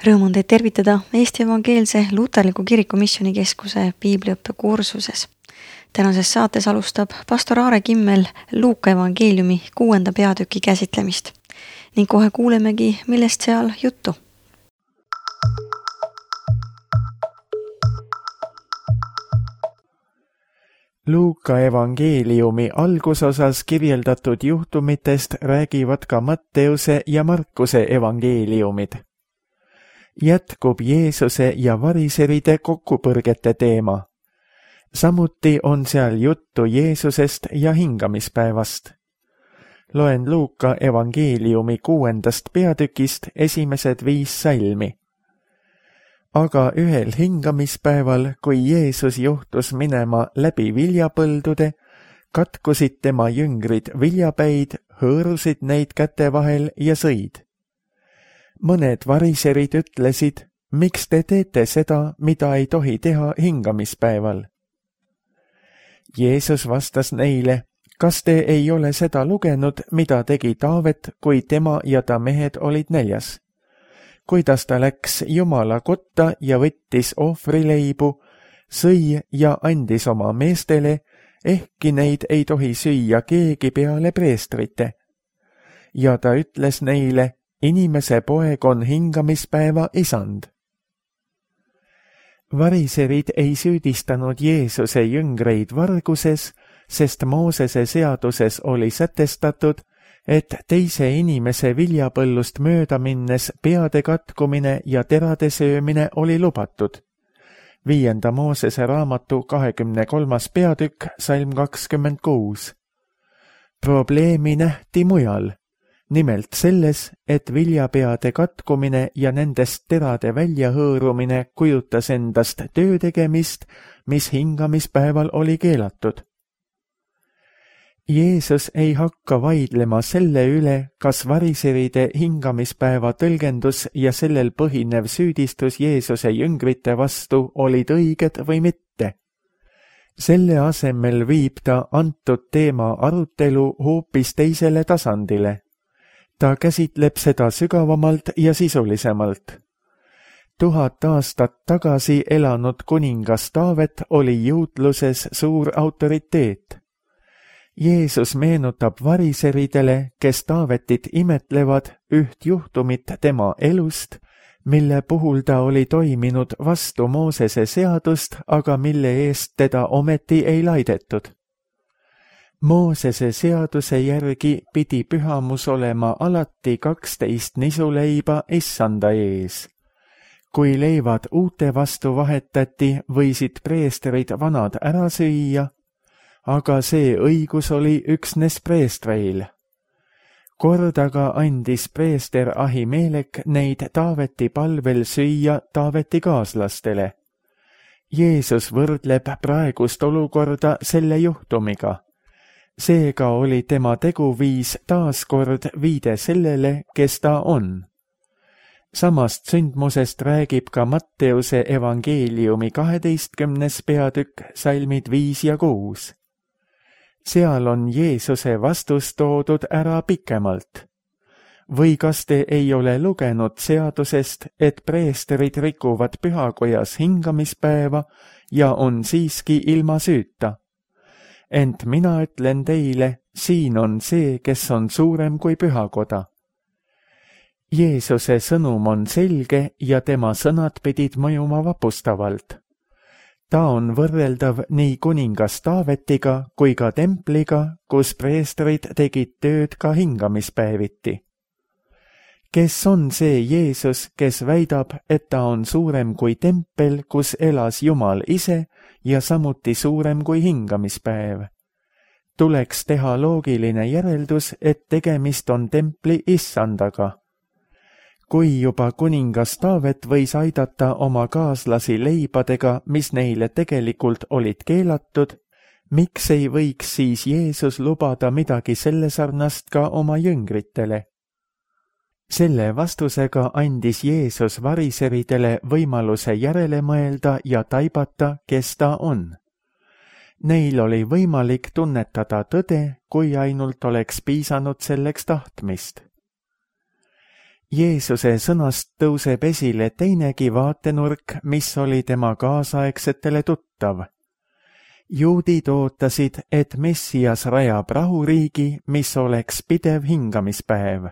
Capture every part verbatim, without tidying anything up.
Rõõm on teid tervitada Eesti Evangeelse Luterliku Kiriku Missioonikeskuse piibliõppe kursuses. Tänases saates alustab pastor Aare Kimmel Luuka evangeeliumi kuuenda peatüki käsitlemist ning kohe kuulemegi, millest seal juttu. Luuka evangeeliumi algusosas kirjeldatud juhtumitest räägivad ka Matteuse ja Markuse evangeeliumid. Jätkub Jeesuse ja variseride kokkupõrgete teema. Samuti on seal juttu Jeesusest ja hingamispäevast. Loen Luuka evangeeliumi kuuendast peatükist esimesed viis salmi. Aga ühel hingamispäeval, kui Jeesus juhtus minema läbi viljapõldude, katkusid tema jüngrid viljapäid, hõõrusid neid käte vahel ja sõid. Mõned variserid ütlesid, miks te teete seda, mida ei tohi teha hingamispäeval? Jeesus vastas neile, kas te ei ole seda lugenud, mida tegi Taavet, kui tema ja ta mehed olid näljas? Kuidas ta läks Jumala kotta ja võttis ohvrileibu, sõi ja andis oma meestele, ehkki neid ei tohi süüa keegi peale preestrite. Ja ta ütles neile, inimese poeg on hingamispäeva isand. Variserid ei süüdistanud Jeesuse jüngreid varguses, sest Moosese seaduses oli sätestatud, et teise inimese viljapõllust mööda minnes peade katkumine ja terade söömine oli lubatud. Viienda Moosese raamatu kahekümne kolmas peatükk, salm kakskümmend kuus. Probleemi nähti mujal, nimelt selles, et viljapeade katkumine ja nendest terade väljahõõrumine kujutas endast töö tegemist, mis hingamispäeval oli keelatud. Jeesus ei hakka vaidlema selle üle, kas variseride hingamispäeva tõlgendus ja sellel põhinev süüdistus Jeesuse jüngrite vastu olid õiged või mitte. Selle asemel viib ta antud teema arutelu hoopis teisele tasandile. Ta käsitleb seda sügavamalt ja sisulisemalt. Tuhat aastat tagasi elanud kuningas Taavet oli juutluses suur autoriteet. Jeesus meenutab variseridele, kes Taavetit imetlevad, üht juhtumit tema elust, mille puhul ta oli toiminud vastu Moosese seadust, aga mille eest teda ometi ei laidetud. Moosese seaduse järgi pidi pühamus olema alati kaksteist nisuleiba issanda ees. Kui leivad uute vastu vahetati, võisid preestrid vanad ära süüa, aga see õigus oli üksnes preestreil. Kord aga andis preester Ahimelek neid Taaveti palvel süüa Taaveti kaaslastele. Jeesus võrdleb praegust olukorda selle juhtumiga. Seega oli tema teguviis taaskord viide sellele, kes ta on. Samast sündmusest räägib ka Matteuse evangeeliumi kaheteistkümnes peatükk, salmid viis ja kuus. Seal on Jeesuse vastus toodud ära pikemalt. Või kas te ei ole lugenud seadusest, et preesterid rikuvad pühakojas hingamispäeva ja on siiski ilma süüta? Ent mina ütlen teile, siin on see, kes on suurem kui pühakoda. Jeesuse sõnum on selge ja tema sõnad pidid mõjuma vapustavalt. Ta on võrreldav nii kuningas Taavetiga kui ka templiga, kus preestrid tegid tööd ka hingamispäeviti. Kes on see Jeesus, kes väidab, et ta on suurem kui tempel, kus elas Jumal ise ja samuti suurem kui hingamispäev? Tuleks teha loogiline järeldus, et tegemist on templi issandaga. Kui juba kuningas Taavet võis aidata oma kaaslasi leibadega, mis neile tegelikult olid keelatud, miks ei võiks siis Jeesus lubada midagi selle sarnast ka oma jüngritele? Selle vastusega andis Jeesus variseridele võimaluse järele mõelda ja taibata, kes ta on. Neil oli võimalik tunnetada tõde, kui ainult oleks piisanud selleks tahtmist. Jeesuse sõnast tõuseb esile teinegi vaatenurk, mis oli tema kaasaegsetele tuttav. Juudid ootasid, et Messias rajab rahuriigi, mis oleks pidev hingamispäev.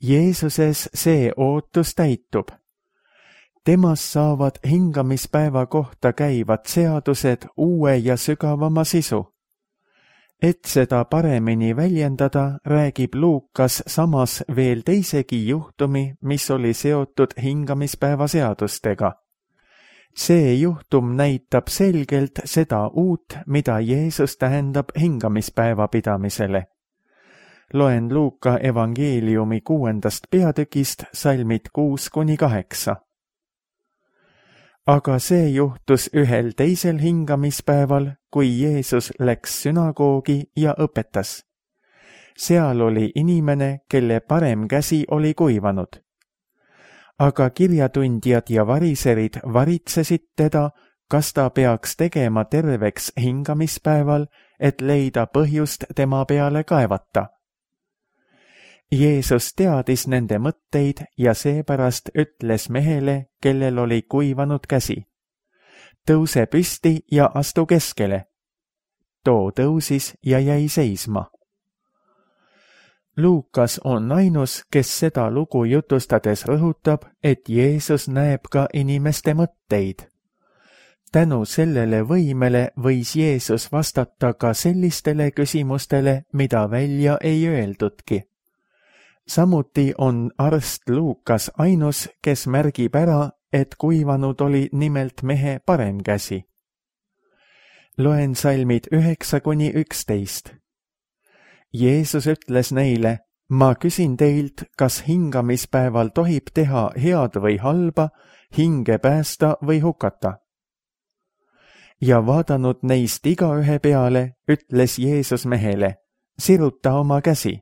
Jeesuses see ootus täitub. Temas saavad hingamispäeva kohta käivad seadused uue ja sügavama sisu. Et seda paremini väljendada, räägib Luukas samas veel teisegi juhtumi, mis oli seotud hingamispäeva seadustega. See juhtum näitab selgelt seda uut, mida Jeesus tähendab hingamispäeva pidamisele. Loen Luuka evangeeliumi kuuendast peatükist salmid kuus kuni kaheksa. Aga see juhtus ühel teisel hingamispäeval, kui Jeesus läks sünagoogi ja õpetas. Seal oli inimene, kelle parem käsi oli kuivanud. Aga kirjatundjad ja variserid varitsesid teda, kas ta peaks tegema terveks hingamispäeval, et leida põhjust tema peale kaevata. Jeesus teadis nende mõtteid ja seepärast ütles mehele, kellel oli kuivanud käsi. Tõuse püsti ja astu keskele. Too tõusis ja jäi seisma. Luukas on ainus, kes seda lugu jutustades rõhutab, et Jeesus näeb ka inimeste mõtteid. Tänu sellele võimele võis Jeesus vastata ka sellistele küsimustele, mida välja ei öeldudki. Samuti on arst Luukas ainus, kes märgib ära, et kuivanud oli nimelt mehe parem käsi. Loen salmid üheksa kuni üksteist. Jeesus ütles neile, ma küsin teilt, kas hingamispäeval tohib teha head või halba, hinge päästa või hukata. Ja vaadanud neist igaühe peale, ütles Jeesus mehele, siruta oma käsi.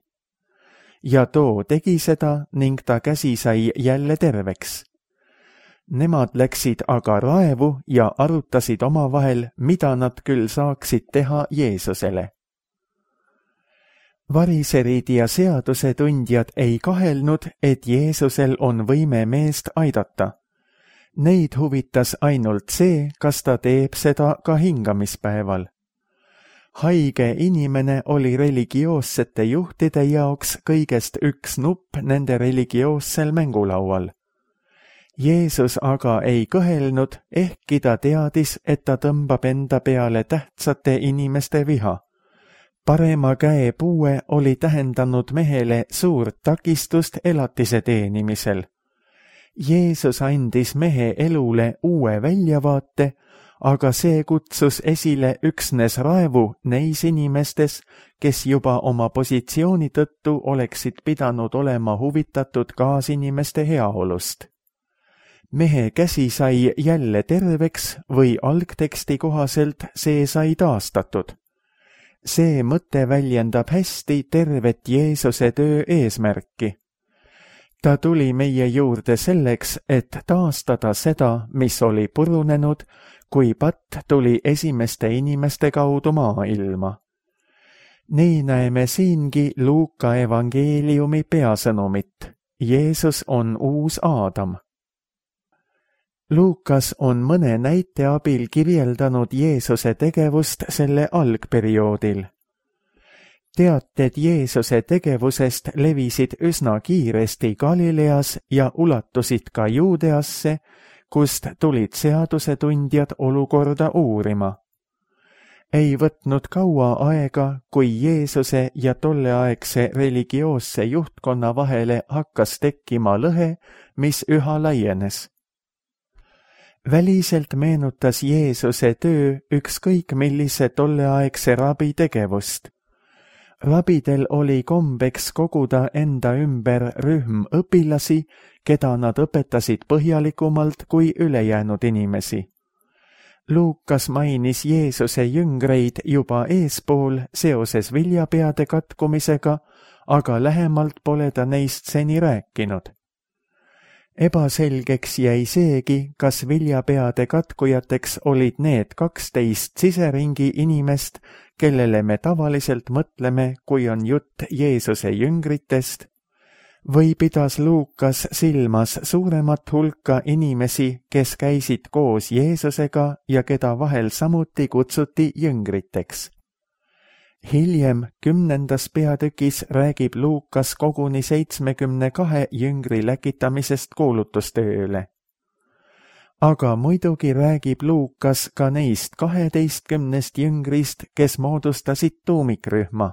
Ja too tegi seda ning ta käsi sai jälle terveks. Nemad läksid aga raevu ja arutasid omavahel, mida nad küll saaksid teha Jeesusele. Variserid ja seadusetundjad ei kahelnud, et Jeesusel on võime meest aidata. Neid huvitas ainult see, kas ta teeb seda ka hingamispäeval. Haige inimene oli religioossete juhtide jaoks kõigest üks nupp nende religioossel mängulaual. Jeesus aga ei kõhelnud, ehkki ta teadis, et ta tõmbab enda peale tähtsate inimeste viha. Parema käe puue oli tähendanud mehele suurt takistust elatise teenimisel. Jeesus andis mehe elule uue väljavaate, aga see kutsus esile üksnes raevu neis inimestes, kes juba oma positsiooni tõttu oleksid pidanud olema huvitatud kaasinimeste heaolust. Mehe käsi sai jälle terveks või algteksti kohaselt see sai taastatud. See mõte väljendab hästi tervet Jeesuse töö eesmärki. Ta tuli meie juurde selleks, et taastada seda, mis oli purunenud, kui patt tuli esimeste inimeste kaudu maailma. Nii näeme siingi Luuka evangeeliumi peasõnumit. Jeesus on uus Aadam. Luukas on mõne näite abil kirjeldanud Jeesuse tegevust selle algperioodil. Teated Jeesuse tegevusest levisid üsna kiiresti Galileas ja ulatusid ka Juudeasse, kust tulid seadusetundjad olukorda uurima. Ei võtnud kaua aega, kui Jeesuse ja tolleaegse religioosse juhtkonna vahele hakkas tekkima lõhe, mis üha laienes. Väliselt meenutas Jeesuse töö ükskõik millise tolleaegse rabi tegevust. Rabidel oli kombeks koguda enda ümber rühm õpilasi, keda nad õpetasid põhjalikumalt kui ülejäänud inimesi. Luukas mainis Jeesuse jüngreid juba eespool seoses viljapeade katkumisega, aga lähemalt pole ta neist seni rääkinud. Ebaselgeks jäi seegi, kas viljapeade katkujateks olid need kaksteist siseringi inimest, kellele me tavaliselt mõtleme, kui on jutt Jeesuse jüngritest, või pidas Luukas silmas suuremat hulka inimesi, kes käisid koos Jeesusega ja keda vahel samuti kutsuti jüngriteks? Hiljem kümnendas peatükis räägib Luukas koguni seitsmekümne kahe jüngri läkitamisest kuulutustööle. Aga muidugi räägib Luukas ka neist kaheteistkümnest jüngrist, kes moodustasid tuumikrühma.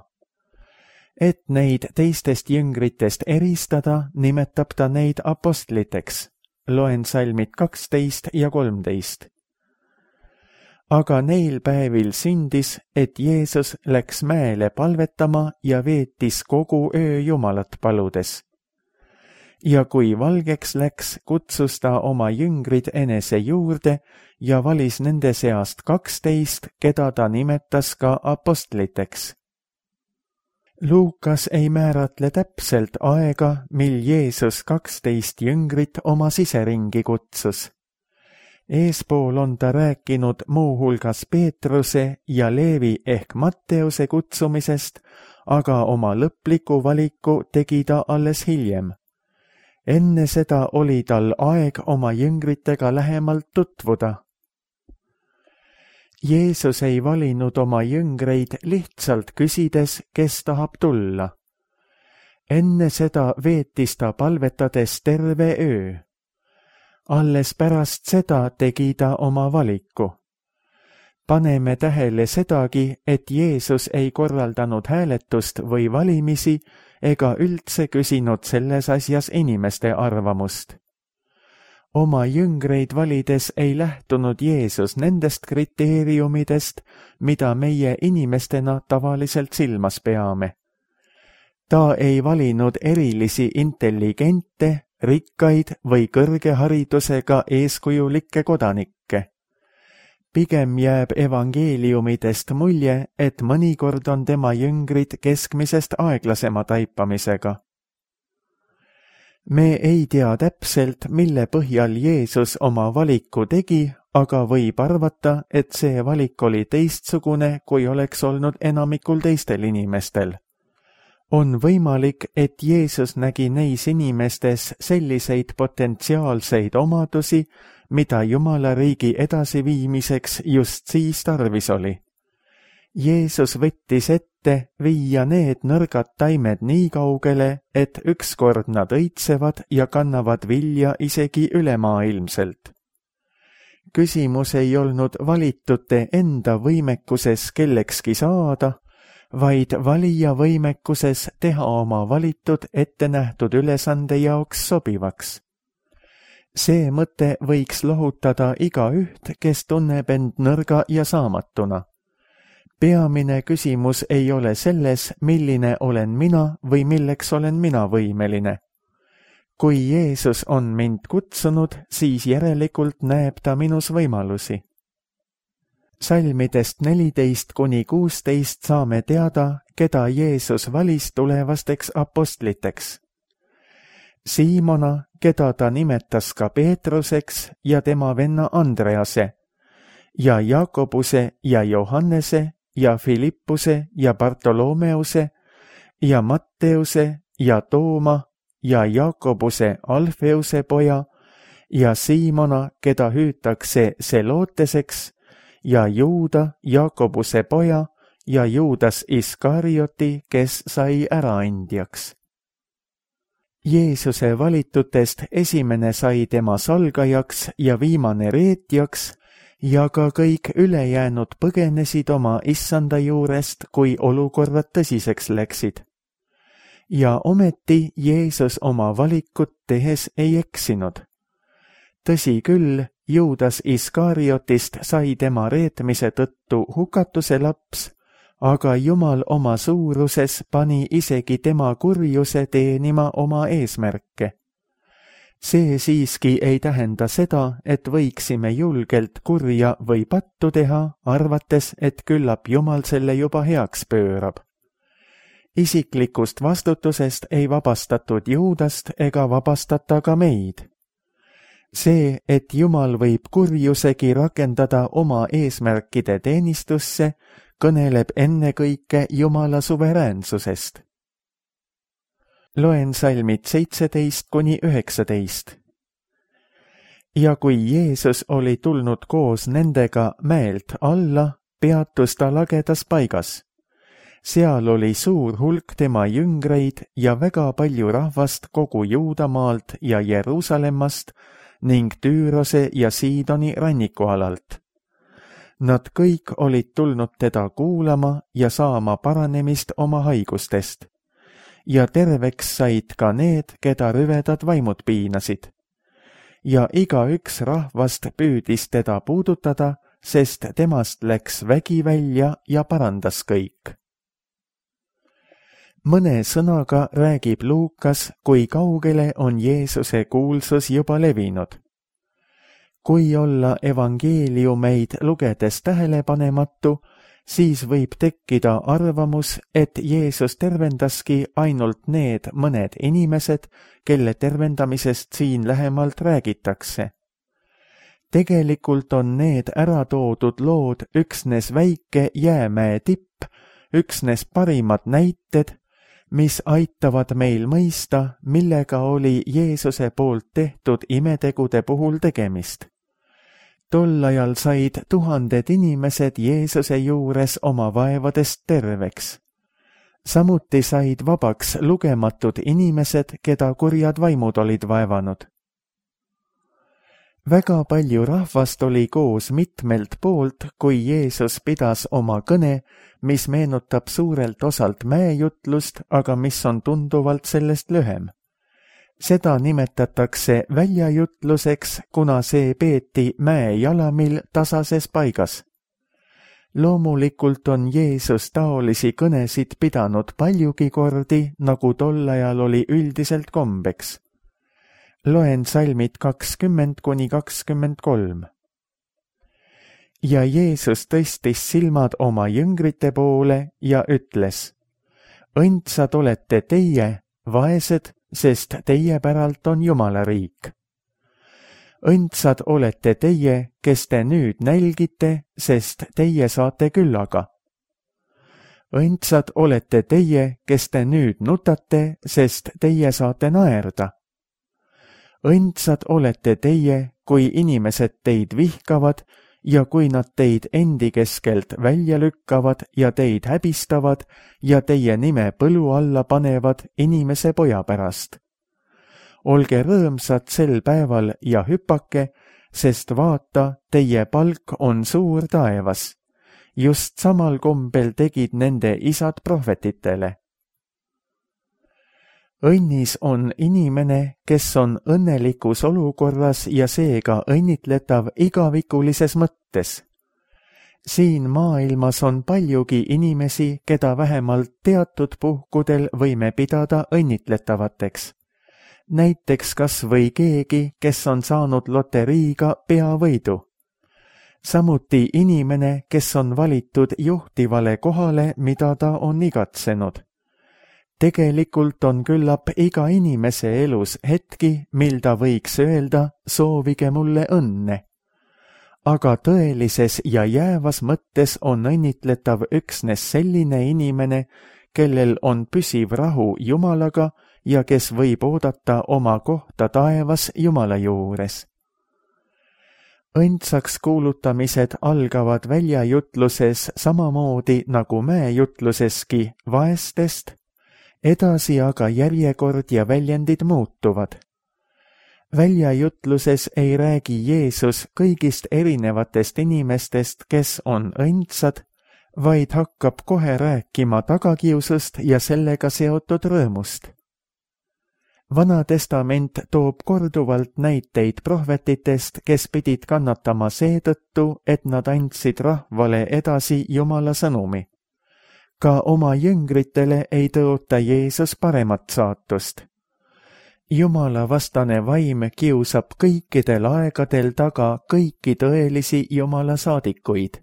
Et neid teistest jüngritest eristada, nimetab ta neid apostliteks. Loen salmid kaksteist ja kolmteist. Aga neil päevil sündis, et Jeesus läks mäele palvetama ja veetis kogu öö Jumalat paludes. Ja kui valgeks läks, kutsus ta oma jüngrid enese juurde ja valis nende seast kaksteist, keda ta nimetas ka apostliteks. Luukas ei määratle täpselt aega, mil Jeesus kaksteist jüngrit oma siseringi kutsus. Eespool on ta rääkinud muuhulgas Peetruse ja Leevi ehk Matteuse kutsumisest, aga oma lõpliku valiku tegi ta alles hiljem. Enne seda oli tal aeg oma jüngritega lähemalt tutvuda. Jeesus ei valinud oma jüngreid lihtsalt küsides, kes tahab tulla. Enne seda veetis ta palvetades terve öö. Alles pärast seda tegi ta oma valiku. Paneme tähele sedagi, et Jeesus ei korraldanud hääletust või valimisi ega üldse küsinud selles asjas inimeste arvamust. Oma jüngreid valides ei lähtunud Jeesus nendest kriteeriumidest, mida meie inimestena tavaliselt silmas peame. Ta ei valinud erilisi intelligente, rikkaid või kõrge haridusega eeskujulikke kodanikke. Pigem jääb evangeeliumidest mulje, et mõnikord on tema jüngrid keskmisest aeglasema taipamisega. Me ei tea täpselt, mille põhjal Jeesus oma valiku tegi, aga võib arvata, et see valik oli teistsugune, kui oleks olnud enamikul teistel inimestel. On võimalik, et Jeesus nägi neis inimestes selliseid potentsiaalseid omadusi, mida Jumala riigi edasiviimiseks just siis tarvis oli. Jeesus võttis ette viia need nõrgad taimed nii kaugele, et ükskord nad õitsevad ja kannavad vilja isegi ülemaailmselt. Küsimus ei olnud valitute enda võimekuses kellekski saada, vaid valija võimekuses teha oma valitud ettenähtud ülesande jaoks sobivaks. See mõte võiks lohutada igaüht, kes tunneb end nõrga ja saamatuna. Peamine küsimus ei ole selles, milline olen mina või milleks olen mina võimeline. Kui Jeesus on mind kutsunud, siis järelikult näeb ta minus võimalusi. Salmidest neliteist kuni kuusteist saame teada, keda Jeesus valis tulevasteks apostliteks. Siimona, keda ta nimetas ka Peetruseks ja tema venna Andrease, ja Jakobuse ja Johannese ja Filippuse ja Bartolomeuse ja Matteuse ja Tooma ja Jakobuse Alfeuse poja ja Siimona, keda hüütakse Seloteseks, ja Juuda, Jakobuse poja ja Juudas Iskarioti, kes sai äraandjaks. Jeesuse valitutest esimene sai tema salgajaks ja viimane reetjaks ja ka kõik ülejäänud põgenesid oma issanda juurest, kui olukorrad tõsiseks läksid. Ja ometi Jeesus oma valikut tehes ei eksinud. Tõsi küll, Juudas Iskariotist sai tema reetmise tõttu hukatuse laps, aga Jumal oma suuruses pani isegi tema kurjuse teenima oma eesmärke. See siiski ei tähenda seda, et võiksime julgelt kurja või pattu teha, arvates, et küllap Jumal selle juba heaks pöörab. Isiklikust vastutusest ei vabastatud Juudast ega vabastata ka meid. See, et Jumal võib kurjusegi rakendada oma eesmärkide teenistusse, kõneleb ennekõike Jumala suveräänsusest. Loen salmid seitseteist kuni üheksateist. Ja kui Jeesus oli tulnud koos nendega mäelt alla, peatus ta lagedas paigas. Seal oli suur hulk tema jüngreid ja väga palju rahvast kogu Juudamaalt ja Jeruusalemmast ning Tüürose ja Siidoni rannikualalt. Nad kõik olid tulnud teda kuulama ja saama paranemist oma haigustest. Ja terveks said ka need, keda rüvedad vaimud piinasid. Ja igaüks rahvast püüdis teda puudutada, sest temast läks vägi välja ja parandas kõik. Mõne sõnaga räägib Luukas, kui kaugele on Jeesuse kuulsus juba levinud. Kui olla evangeeliumeid lugedes tähelepanematu, siis võib tekkida arvamus, et Jeesus tervendaski ainult need mõned inimesed, kelle tervendamisest siin lähemalt räägitakse. Tegelikult on need ära toodud lood üksnes väike jäämäe tipp, üksnes parimad näited, mis aitavad meil mõista, millega oli Jeesuse poolt tehtud imetegude puhul tegemist. Tol ajal said tuhanded inimesed Jeesuse juures oma vaevadest terveks. Samuti said vabaks lugematud inimesed, keda kurjad vaimud olid vaevanud. Väga palju rahvast oli koos mitmelt poolt, kui Jeesus pidas oma kõne, mis meenutab suurelt osalt mäejutlust, aga mis on tunduvalt sellest lühem. Seda nimetatakse väljajutluseks, kuna see peeti mäejalamil tasases paigas. Loomulikult on Jeesus taolisi kõnesid pidanud paljugi kordi, nagu tol ajal oli üldiselt kombeks. Loen salmid kakskümmend kuni kakskümmend kolm. Ja Jeesus tõstis silmad oma jüngrite poole ja ütles: õndsad olete teie, vaesed, sest teie päralt on Jumala riik. Õndsad olete teie, kes te nüüd nälgite, sest teie saate küllaga. Õndsad olete teie, kes te nüüd nutate, sest teie saate naerda. Õndsad olete teie, kui inimesed teid vihkavad ja kui nad teid endi keskelt välja lükkavad ja teid häbistavad ja teie nime põlu alla panevad inimese poja pärast. Olge rõõmsad sel päeval ja hüpake, sest vaata, teie palk on suur taevas. Just samal kombel tegid nende isad prohvetitele. Õnnis on inimene, kes on õnnelikus olukorras ja seega õnnitletav igavikulises mõttes. Siin maailmas on paljugi inimesi, keda vähemalt teatud puhkudel võime pidada õnnitletavateks. Näiteks kas või keegi, kes on saanud loteriiga peavõidu. Samuti inimene, kes on valitud juhtivale kohale, mida ta on igatsenud. Tegelikult on küllap iga inimese elus hetki, mil ta võiks öelda, soovige mulle õnne. Aga tõelises ja jäävas mõttes on õnnitletav üksnes selline inimene, kellel on püsiv rahu Jumalaga ja kes võib oodata oma kohta taevas Jumala juures. Õndsaks kuulutamised algavad väljajutluses samamoodi nagu mäejutluseski vaestest, edasi aga järjekord ja väljendid muutuvad. Väljajutluses ei räägi Jeesus kõigist erinevatest inimestest, kes on õndsad, vaid hakkab kohe rääkima tagakiusust ja sellega seotud rõõmust. Vana testament toob korduvalt näiteid prohvetitest, kes pidid kannatama seetõttu, et nad andsid rahvale edasi Jumala sõnumi. Ka oma jüngritele ei tõota Jeesus paremat saatust. Jumala vastane vaim kiusab kõikidel aegadel taga kõiki tõelisi Jumala saadikuid.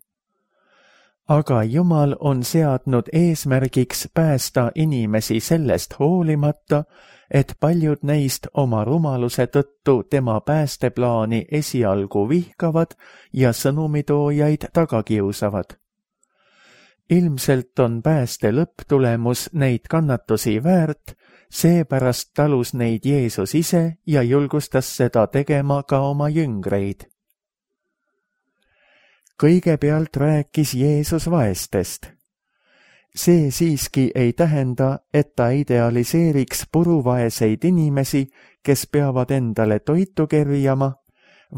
Aga Jumal on seadnud eesmärgiks päästa inimesi sellest hoolimata, et paljud neist oma rumaluse tõttu tema päästeplaani esialgu vihkavad ja sõnumitoojaid taga kiusavad. ilmselt on pääste lõpptulemus neid kannatusi väärt, seepärast talus neid Jeesus ise ja julgustas seda tegema ka oma jüngreid. Kõigepealt rääkis Jeesus vaestest. See siiski ei tähenda, et ta idealiseeriks puruvaeseid inimesi, kes peavad endale toitu kerjama,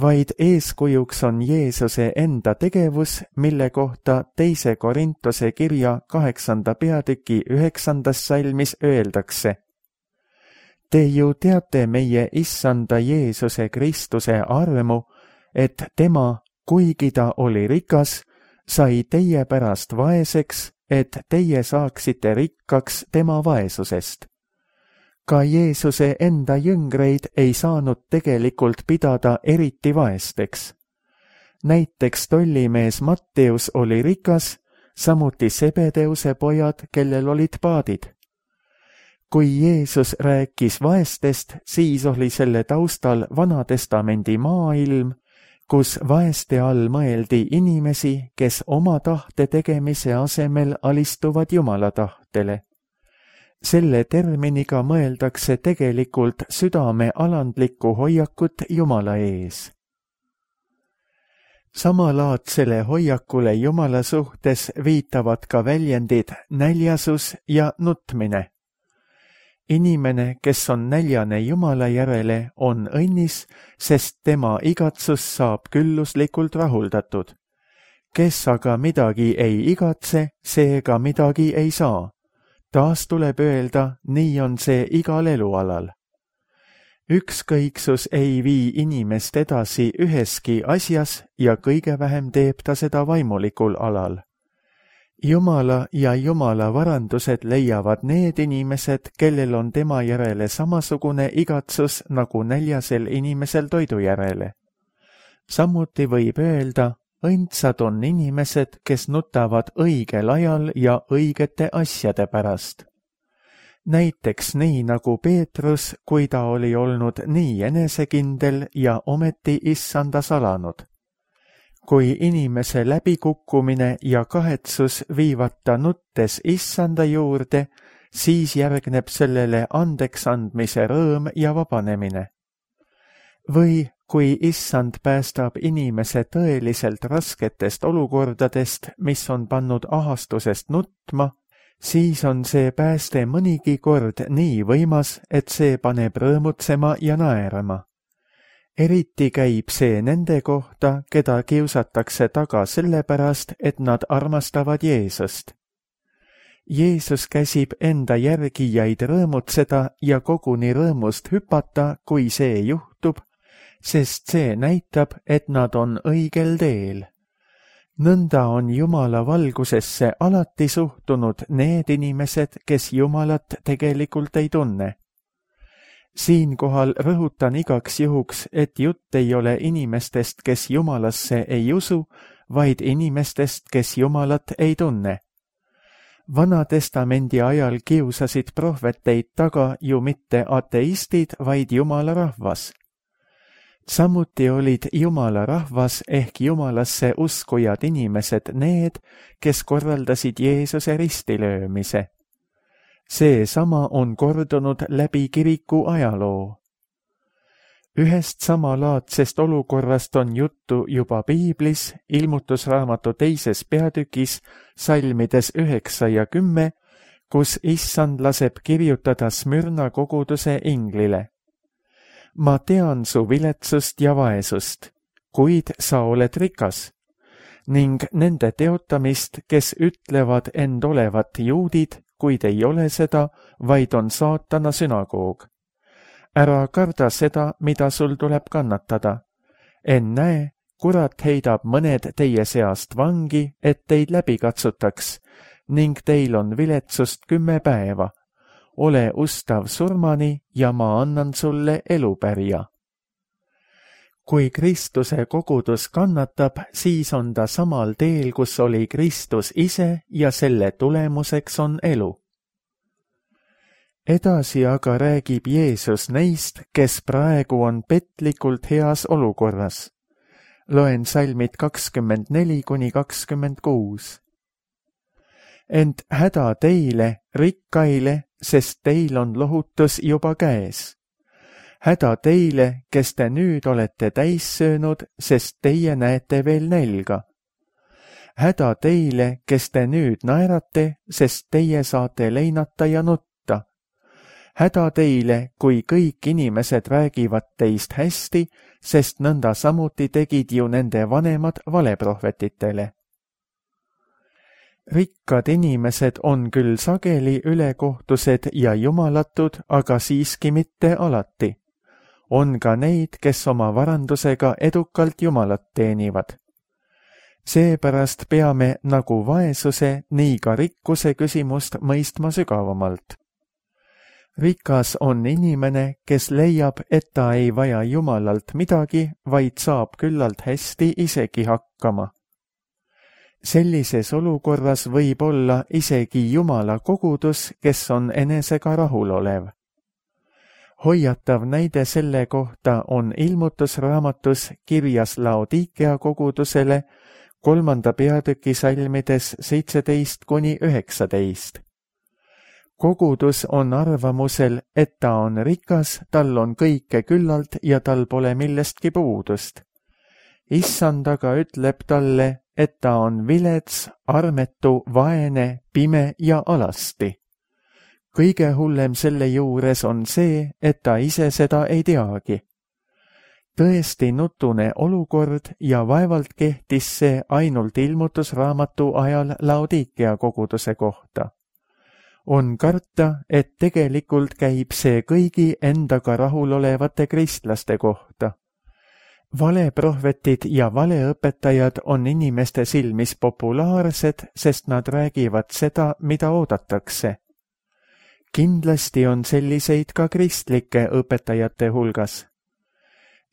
vaid eeskujuks on Jeesuse enda tegevus, mille kohta teise Korintuse kirja kaheksanda peatüki üheksandas salmis öeldakse. Te ju teate meie issanda Jeesuse Kristuse armu, et tema, kuigi ta oli rikas, sai teie pärast vaeseks, et teie saaksite rikkaks tema vaesusest. Ka Jeesuse enda jüngreid ei saanud tegelikult pidada eriti vaesteks. Näiteks tollimees Matteus oli rikas, samuti Sebedeuse pojad, kellel olid paadid. Kui Jeesus rääkis vaestest, siis oli selle taustal Vanatestamendi maailm, kus vaeste all mõeldi inimesi, kes oma tahte tegemise asemel alistuvad Jumala tahtele. Selle terminiga mõeldakse tegelikult südame alandlikku hoiakut Jumala ees. Samalaadsele hoiakule Jumala suhtes viitavad ka väljendid näljasus ja nutmine. Inimene, kes on näljane Jumala järele, on õnnis, sest tema igatsus saab külluslikult rahuldatud. Kes aga midagi ei igatse, seega midagi ei saa. Taas tuleb öelda, nii on see igal elualal. Ükskõiksus ei vii inimest edasi üheski asjas ja kõige vähem teeb ta seda vaimulikul alal. Jumala ja Jumala varandused leiavad need inimesed, kellel on tema järele samasugune igatsus nagu näljasel inimesel toidu järele. Samuti võib öelda, õndsad on inimesed, kes nutavad õigel ajal ja õigete asjade pärast. Näiteks nii nagu Peetrus, kui ta oli olnud nii enesekindel ja ometi issanda salanud. Kui inimese läbikukkumine ja kahetsus viivad ta nuttes issanda juurde, siis järgneb sellele andeks andmise rõõm ja vabanemine. Või kui issand päästab inimese tõeliselt rasketest olukordadest, mis on pannud ahastusest nutma, siis on see pääste mõnigi kord nii võimas, et see paneb rõõmutsema ja naerama. Eriti käib see nende kohta, keda kiusatakse taga sellepärast, et nad armastavad Jeesust. Jeesus käsib enda järgijaid rõõmutseda ja koguni rõõmust hüpata, kui see juhtub, sest see näitab, et nad on õigel teel. Nõnda on Jumala valgusesse alati suhtunud need inimesed, kes Jumalat tegelikult ei tunne. Siinkohal rõhutan igaks juhuks, et jutt ei ole inimestest, kes Jumalasse ei usu, vaid inimestest, kes Jumalat ei tunne. Vanatestamendi ajal kiusasid prohveteid taga ju mitte ateistid, vaid Jumala rahvas. Samuti olid Jumala rahvas ehk Jumalasse uskujad inimesed need, kes korraldasid Jeesuse ristilöömise. See sama on kordunud läbi kiriku ajaloo. Ühest samalaadsest olukorrast on juttu juba Piiblis, ilmutusraamatu teises peatükis, salmides üheksa ja kümme, kus issand laseb kirjutada Smyrna koguduse inglile. Ma tean su viletsust ja vaesust, kuid sa oled rikas, ning nende teotamist, kes ütlevad end olevat juudid, kuid ei ole seda, vaid on saatana sünagoog. Ära karda seda, mida sul tuleb kannatada. Ennäe, kurat heidab mõned teie seast vangi, et teid läbi katsutaks, ning teil on viletsust kümme päeva. Ole ustav surmani ja ma annan sulle elupärja. Kui Kristuse kogudus kannatab, siis on ta samal teel, kus oli Kristus ise ja selle tulemuseks on elu. Edasi aga räägib Jeesus neist, kes praegu on petlikult heas olukorras. Loen salmid kakskümmend neli kuni kakskümmend kuus. Ent häda teile, rikkaile, sest teil on lohutus juba käes. Häda teile, kes te nüüd olete täis söönud, sest teie näete veel nälga. Häda teile, kes te nüüd naerate, sest teie saate leinata ja nutta. Häda teile, kui kõik inimesed räägivad teist hästi, sest nõnda samuti tegid ju nende vanemad valeprohvetitele. Rikkad inimesed on küll sageli ülekohtused ja jumalatud, aga siiski mitte alati. On ka neid, kes oma varandusega edukalt jumalat teenivad. Seepärast peame nagu vaesuse, nii ka rikkuse küsimust mõistma sügavamalt. Rikas on inimene, kes leiab, et ta ei vaja jumalalt midagi, vaid saab küllalt hästi isegi hakkama. Sellises olukorras võib olla isegi jumala kogudus, kes on enesega rahulolev. Hoiatav näide selle kohta on ilmutusraamatus kirjas Laodikea kogudusele kolmanda peatüki salmides seitseteist kuni üheksateist. Kogudus on arvamusel, et ta on rikas, tal on kõike küllalt ja tal pole millestki puudust. Issand aga ütleb talle, et ta on vilets, armetu, vaene, pime ja alasti. Kõige hullem selle juures on see, et ta ise seda ei teagi. Tõesti nutune olukord ja vaevalt kehtis see ainult ilmutusraamatu ajal Laodikea koguduse kohta. On karta, et tegelikult käib see kõigi endaga rahulolevate kristlaste kohta. Valeprohvetid ja valeõpetajad on inimeste silmis populaarsed, sest nad räägivad seda, mida oodatakse. Kindlasti on selliseid ka kristlike õpetajate hulgas.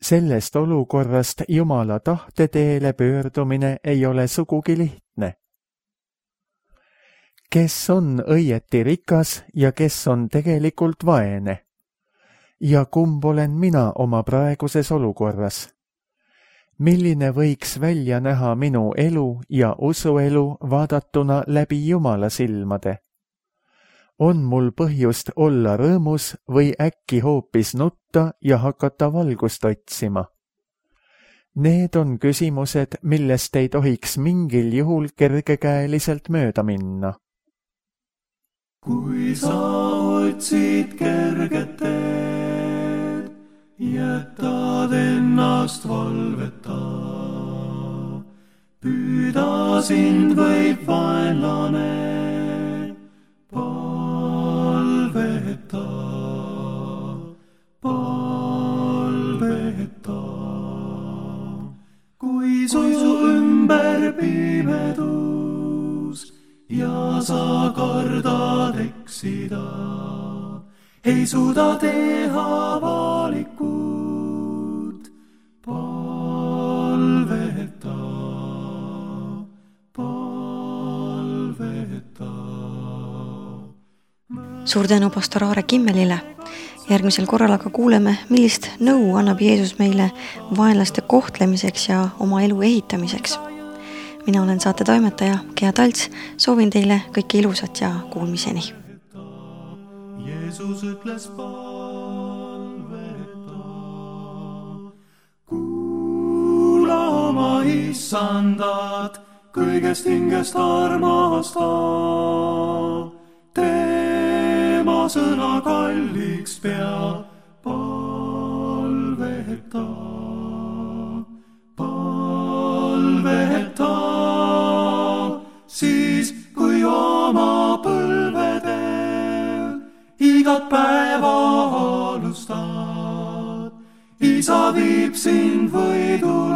Sellest olukorrast Jumala tahte teele pöördumine ei ole sugugi lihtne. Kes on õieti rikas ja kes on tegelikult vaene? Ja kumb olen mina oma praeguses olukorras? Milline võiks välja näha minu elu ja usuelu vaadatuna läbi Jumala silmade? On mul põhjust olla rõõmus või äkki hoopis nutta ja hakata valgust otsima? Need on küsimused, millest ei tohiks mingil juhul kergekäeliselt mööda minna. Kui sa otsid kerget teed, jätad ennast valveta. Püüda sind võib vaenlane palveta, palveta. Kui su ümber pimedus ja sa kardad eksida, ei suuda teha valikut, palveta, palveta. Suur tänu pastor Aare Kimmelile. Järgmisel korral aga kuuleme, millist nõu annab Jeesus meile vaenlaste kohtlemiseks ja oma elu ehitamiseks. Mina olen saate toimetaja Gea Talts, soovin teile kõike ilusat ja kuulmiseni. Jeesus ütles palveta, kuula oma issandat, kõigest hingest armasta, tema sõna kalliks pea, palveta, palveta. Siis kui oma põlvedel igat päeva alustad, isa viib sind võidu